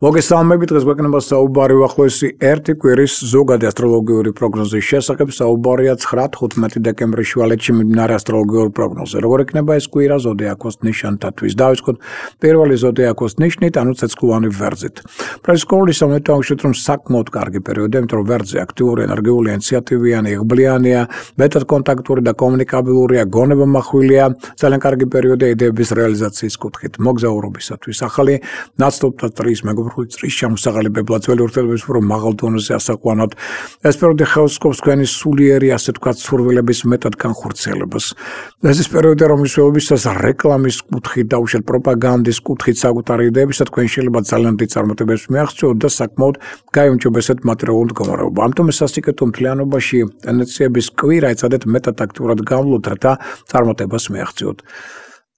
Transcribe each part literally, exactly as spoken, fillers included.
მოგესალმებით, დღეს გვექნება საუბარი უახლოესი ერთი კვირის ზოგადი ასტროლოგიური პროგნოზის შესახებ. საუბარია ცხრა თხუთმეტი დეკემბრის შუალედში მიმდინარე ასტროლოგიურ პროგნოზზე. როგორ იქნება ეს კვირა ზოდიაქოს ნიშანთათვის? დავიწყოთ პირველი ზოდიაქოს ნიშნით, ანუ ცეცხლოვანი ვერძით. პრესკოლის სამეთაუშვით, რომ საკმაოდ კარგი პერიოდია, იმიტომ რომ ვერძი აქტიური, ენერგიული, ინიციატივიანი, იღბლიანია, მეტად კონტაქტური და კომუნიკაბილურია, გონება მახვილია, ძალიან კარგი პერიოდია იდეების რეალიზაციის კუთხით, მოგზაურობისათვის. ახალი ნაცნობთა წრის მეგობრებო წრის შემოსაღალებებლა ძველი ურთიერთობების უფრო მაღალ დონეზე ასაყვანად. ეს პერიოდი ხელსკობს თქვენი სულიერი, ასე ვთქვათ, სურვილების მეტად განხორციელებას. ეს ის პერიოდია, რომლისველებისას რეკლამის კუთხით, დაუშვათ პროპაგანდის კუთხით საკუთარი იდეებისა თქვენ შეიძლება ძალიან დიდ წარმატებებს მიაღწიოთ და საკმაოდ გაიუმჯობესეთ მატერიალური მდგომარეობა. ამიტომ ეს სასიკეთო მთლიანობაში ტენდენციების კვირა ეცადეთ მეტად აქტიურად გამვლოთ, რათა წარმატებას მიაღწიოთ.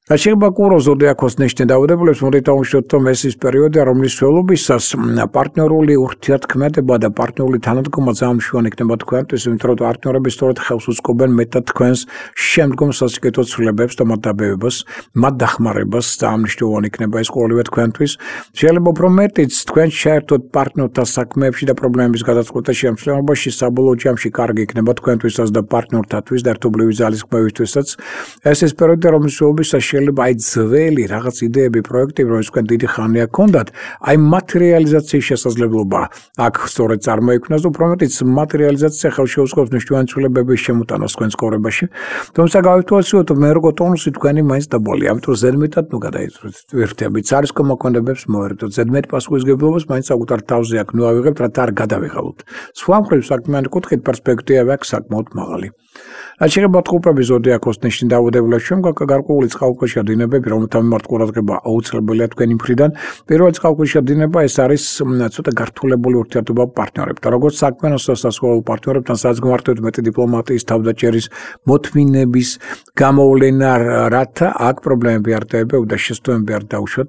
რაც შეეხება კუროს ზოდიაქოს ნიშნით დაავადებულებს, მოდით დავუშვათ, რომ ეს ის პერიოდია, რომლის ველობისას პარტნიორული ურთიერთქმედება და პარტნიორული თანადგომა ძალიან მშვენი იქნება თქვენთვის, იმიტომ რომ პარტნიორები სწორედ ხელს უწყობენ მეტად თქვენს შემდგომ სასიკეთო ცვლილებებს და მათ დაბევებას, მათ დახმარებას, ძალიან მნიშვნელოვანი იქნება ეს ყოველივე თქვენთვის. შეიძლება უფრო მეტიც თქვენ შეერთოთ პარტნიორთა საქმეებში და პრობლემების გადაწყვეტაში შემთხვევაში საბოლოო ჯამში კარგი იქნება თქვენთვისაც და პარტნიორთათვის და ერთობლივი ძალისხმევისთვისაც. ეს ის პერიოდია, რომლის ველობისას შეიძლება აი ძველი რაღაც იდეები, პროექტები, რომელიც თქვენ დიდი ხანია გქონდათ, აი მათ რეალიზაციის შესაძლებლობა აქ სწორედ წარმოიქმნას და უფრო მეტიც მათ რეალიზაცია ხელს შეუწყობს მნიშვნელოვანი ცვლილებების შემოტანას თქვენ ცხოვრებაში. თუმცა გავიტვალისწინოთ, რომ მერგო ტონუსი თქვენი მაინც დაბოლია, ამიტომ ზედმეტად ნუ გადაერთებით. არის კომაკონდებს მოერიდოთ, ზედმეტ პასუხისმგებლობას მაინც საკუთარ თავზე აქ ნუ ავიღებთ, რათა არ გადავიღალოთ. სხვა მხრივ საქმიანი კუთხით პერსპექტივა აქვს საკმაოდ მაღალი. რაც შეეხება თხუთმეტი ზოდიაქოს ნიშნით დაავადებულებს, ჩვენ გვაქვს გარკვეული წყალქვეშა დინებები, რომელთა მიმართ ყურადღება აუცილებელია თქვენი მხრიდან. პირველი წყალქვეშა დინება ეს არის ცოტა გართულებული ურთიერთობა პარტნიორებთან, როგორც საქმიანო სასასვლელო პარტნიორებთან, სადაც გვმართებთ მეტი დიპლომატიის, თავდაჭერის, მოთმინების გამოვლენა, რათა აქ პრობლემები არ დაებევ და შესტოები არ დაუშვათ.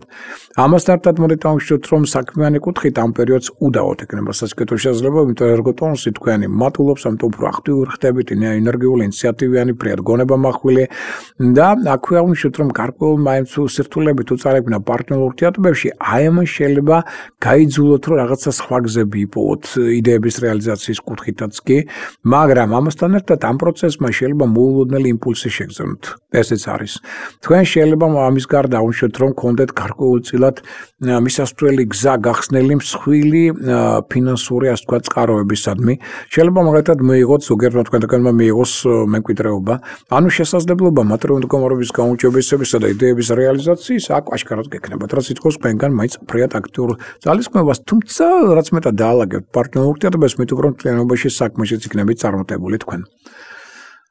ამასთან ერთად მოდით დავუშვათ, რომ საქმიანი კუთხით ამ პერიოდს უდავოდ ექნება სასიკეთო შესაძლებლობა, იმიტომ რომ ერგოტონუსი თქვენი მატულობს, ამიტომ უფრო აქტიური ხდებით, ენერგიული, ინიციატივიანი, ფრიად გონება მახვილი და აქვე აღნიშნოთ, რომ გარკვეულ მაინც სირთულეებით უწარებინა პარტნიორულ ურთიერთობებში, აი ამან შეიძლება გაიძულოთ, რომ რაღაცა სხვა გზები იპოვოთ იდეების რეალიზაციის კუთხითაც კი, მაგრამ ამასთან ერთად ამ პროცესმა შეიძლება მოულოდნელი იმპულსი შეგრძნოთ. ესეც არის. თქვენ შეიძლება ამის გარდა აღნიშნოთ, რომ გქონდეთ გარკვეულწილად მისასვლელი გზა გახსნელი მსხვილი ფინანსური, ასე ვთქვათ, წყაროებისადმი. შეიძლება მაგალითად მიიღოთ ზოგიერთმა თქვენთაგანმა მიიღოს მემკვიდრეობა, ანუ შესაძლებლობა მატერიალური მდგომარეობის გაუმჯობესებისა და იდეების რეალიზაციის აქ აშკარად გექნებათ, რაც ითხოვს თქვენგან მაინც ფრიად აქტიურ ძალისხმევას, თუმცა რაც მეტად დაალაგებთ პარტნიორულ ურთიერთობებს, მით უფრო მთლიანობაში საქმეშიც იქნებით წარმატებული თქვენ.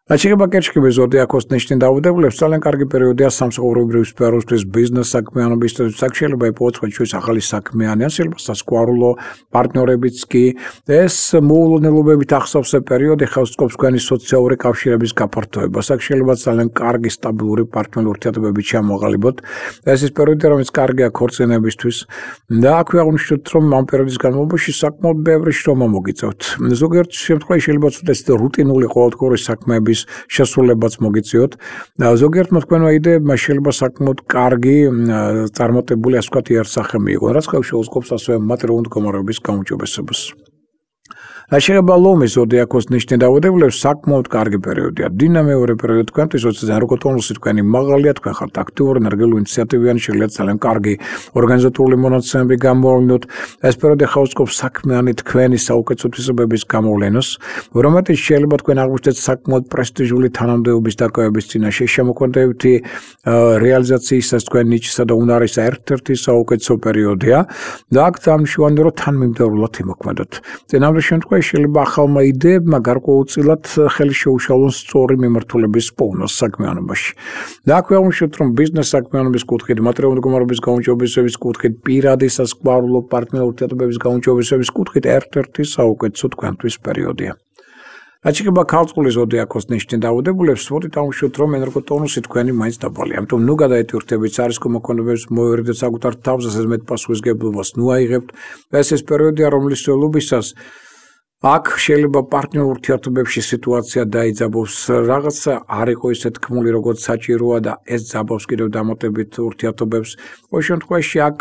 რაც შეეხება კერჩხიბის ზოდიაქოს ნიშნით დაავადებულებს, ძალიან კარგი პერიოდია სამსახურებრივი სფეროსთვის, ბიზნეს საქმიანობისთვის, აქ შეიძლება იპოვოთ სხვადასხვა ახალი საქმიანი, ან შეიძლება სასკვარულო პარტნიორებიც კი. ეს მოულოდნელობებით ახსოვსე პერიოდი ხელს უწყობს თქვენი სოციალური კავშირების გაფართოებას. აქ შეიძლება ძალიან კარგი სტაბილური პარტნიორული ურთიერთობები ჩამოაყალიბოთ. ეს ის პერიოდია, რომელიც კარგია ქორწინებისთვის და აქვე აღნიშნოთ, რომ ამ პერიოდის განმავლობაში საკმაოდ ბევრი შრომა მოგიწევთ. ზოგიერთ შემთხვევაში შეიძლება ცოტა რუტინული ყოველდღიური საქმეები შესრულებაც მოგიწიოთ. ზოგიერთმა თქვენმა იდეებმა შეიძლება საკმაოდ კარგი წარმატებული, ასე ვთქვათ, იერსახე მიიღონ, რაც ხელს შეუწყობს ასევე მატერიალური მდგომარეობის გაუმჯობესებას. რაც შეეხება ლომის ზოდიაქოს ნიშნით დაავადებულებს, საკმაოდ კარგი პერიოდია. დინამიური პერიოდი თქვენთვის, როცა ერგო ტონუსი თქვენი მაღალია, თქვენ ხართ აქტიური, ენერგიული, ინიციატივიანი, შეიძლება ძალიან კარგი ორგანიზატორული მონაცემები გამოავლინოთ. ეს პერიოდი ხელს უწყობს საქმიანი თქვენი საუკეთესო თვისებების გამოვლენას, რომელთაც შეიძლება თქვენ აღმოჩნდეთ საკმაოდ პრესტიჟული თანამდებობის დაკავების წინაშე, შემოქმედებითი რეალიზაციისას თქვენ ნიჭსა და უნარისა ერთ-ერთი საუკეთესო პერიოდია და აქ დამშვანი რომ თანმიმდევრულად იმოქმედოთ. წინამძღოლ შემთხვევაში შეიძლება ახალმა იდეებმა გარკვეულწილად ხელი შეუშალონ სწორი მიმართულების პოვნას საქმიანობაში. და აქვე აღნიშნოთ, რომ ბიზნეს საქმიანობის კუთხით, მატერიალური მდგომარეობის გაუმჯობესების კუთხით, პირადი სასკვარულო პარტნიორულ ურთიერთობების გაუმჯობესების კუთხით ერთ-ერთი საუკეთესო თქვენთვის პერიოდია. რაც შეეხება ქალწულის ზოდიაქოს ნიშნით დაავადებულებს, მოდით დავუშვათ, რომ ენერგოტონუსი თქვენი მაინც დაბალია. ამიტომ ნუ გადაეტვირთებით არის კომაკონდებს, მოერიდეთ საკუთარ თავზე ზედმეტ პასუხისმგებლობას, ნუ აიღებთ. ეს ის პერიოდია, რომლის ველობისას აქ შეიძლება პარტნიორ ურთიერთობებში სიტუაცია დაიძაბოს, რაღაცა არ იყო ისე თქმული, როგორც საჭიროა და ეს ძაბავს კიდევ დამატებით ურთიერთობებს. ყოველ შემთხვევაში აქ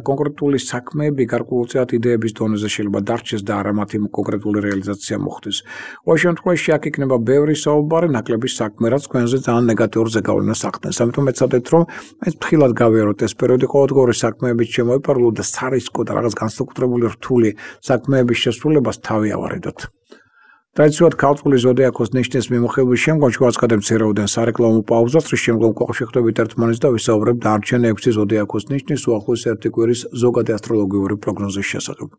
კონკრეტული საქმეები გარკვეულწილად იდეების დონეზე შეიძლება დარჩეს და არა მათი კონკრეტული რეალიზაცია მოხდეს. ყოველ შემთხვევაში აქ იქნება ბევრი საუბარი, ნაკლები საქმე, რაც თქვენზე ძალიან ნეგატიურ ზეგავლენას ახდენს. ამიტომ ეცადეთ, რომ ეს ფრთხილად გავიაროთ ეს პერიოდი, ყოველდღიური საქმეებით შემოიფარგლოთ და სარისკო და რაღაც განსაკუთრებული რთული საქმეების შესრულებას თავი ავარიდოთ. ტრადიციულად ქართული ზოდიაქოს ნიშნის მიმოხილვის შემდგომ შევაცხადებ მცირეოდენ სარეკლამო პაუზას, რის შემდგომ გვახშეხდებით ერთმანეთს და ვისაუბრებთ დარჩენ ექვსი ზოდიაქოს ნიშნის უახლოესი ერთი კვირის ზოგადი ასტროლოგიური პროგნოზის შესახებ.